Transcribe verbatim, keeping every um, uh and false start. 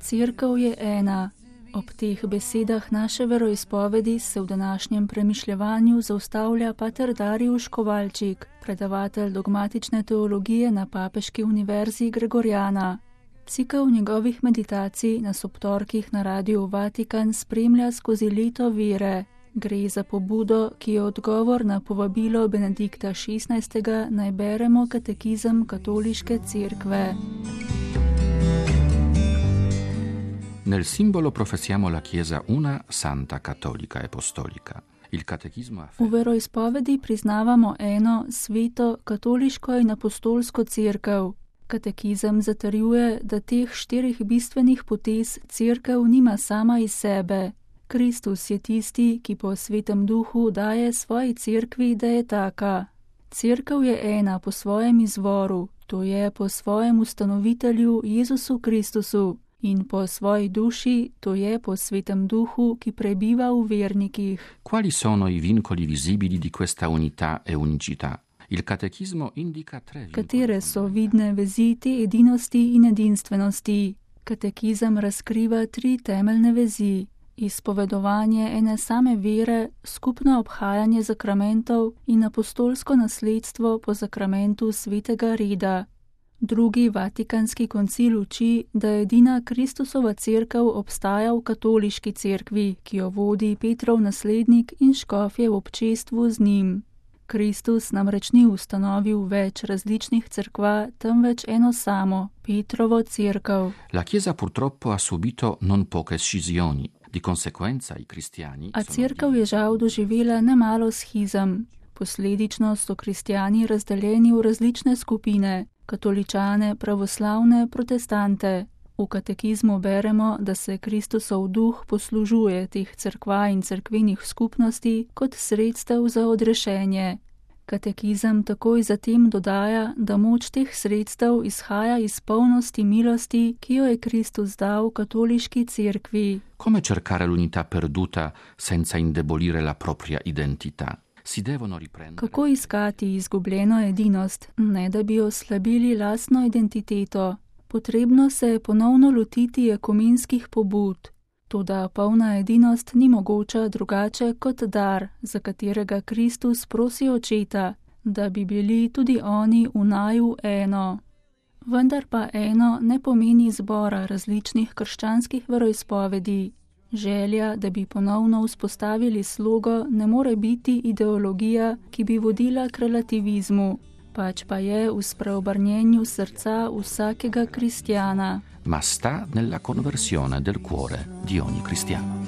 Cerkev je ena. Ob teh besedah naše veroizpovedi se v današnjem premišljevanju zaustavlja pater Darijuš Kovalčik, predavatelj dogmatične teologije na Papeški univerzi Gregorjana. Cikel njegovih meditacij nas ob torkih na Radiu Vatikan spremlja skozi leto vere. Gre za pobudo, ki je odgovor na povabilo Benedikta šestnajstega naj beremo katekizem Katoliške cerkve. Nel simbolo professiamo la Chiesa una santa cattolica e apostolica. Il catechismo afferma... V veroizpovedi priznavamo eno sveto katoliško in apostolsko cerkev. Katekizem zatrjuje, da teh štirih bistvenih potez cerkev nima sama iz sebe. Kristus je tisti, ki po svetem duhu daje svoji cerkvi, da je taka. Cerkev je ena po svojem izvoru, to je po svojem ustanovitelju Jezusu Kristusu, in po svoji duši, to je po svetem duhu, ki prebiva v vernikih. Quali sono i vincoli visibili di questa unità e unicità? Il catechismo indica tre. Katere so vidne vezi te edinosti in edinstvenosti? Katekizem razkriva tri temeljne vezi: izpovedovanje ene same vere, skupno obhajanje zakramentov in apostolsko nasledstvo po zakramentu svetega reda. Drugi vatikanski koncil uči, da edina Kristusova cerkev obstaja v katoliški cerkvi, ki jo vodi Petrov naslednik in škofje v občestvu z njim. Kristus namreč ni ustanovil več različnih cerkva, temveč eno samo, Petrovo cerkev. La Chiesa purtroppo ha subito non poche scisioni, di conseguenza i cristiani. A cerkev je žal doživela nemalo schizem. Posledično so kristjani razdeljeni v različne skupine, katoličane, pravoslavne, protestante. V katekizmu beremo, da se Kristusov duh poslužuje teh cerkva in cerkvenih skupnosti kot sredstev za odrešenje. Katekizem takoj zatem dodaja, da moč teh sredstev izhaja iz polnosti milosti, ki jo je Kristus dal katoliški cerkvi. Come cercare l'unità perduta senza indebolire la propria identità? Kako iskati izgubljeno edinost, ne da bi oslabili lastno identiteto? Potrebno se je ponovno lotiti ekumenskih pobud. Toda polna edinost ni mogoča drugače kot dar, za katerega Kristus prosi Očeta, da bi bili tudi oni v naju eno. Vendar pa eno ne pomeni zbora različnih krščanskih veroizpovedi. Želja, da bi ponovno vzpostavili slogo, ne more biti ideologija, ki bi vodila k relativizmu, pač pa je v spreobrnjenju srca vsakega kristjana. Ma sta nella conversione del cuore di ogni cristiano.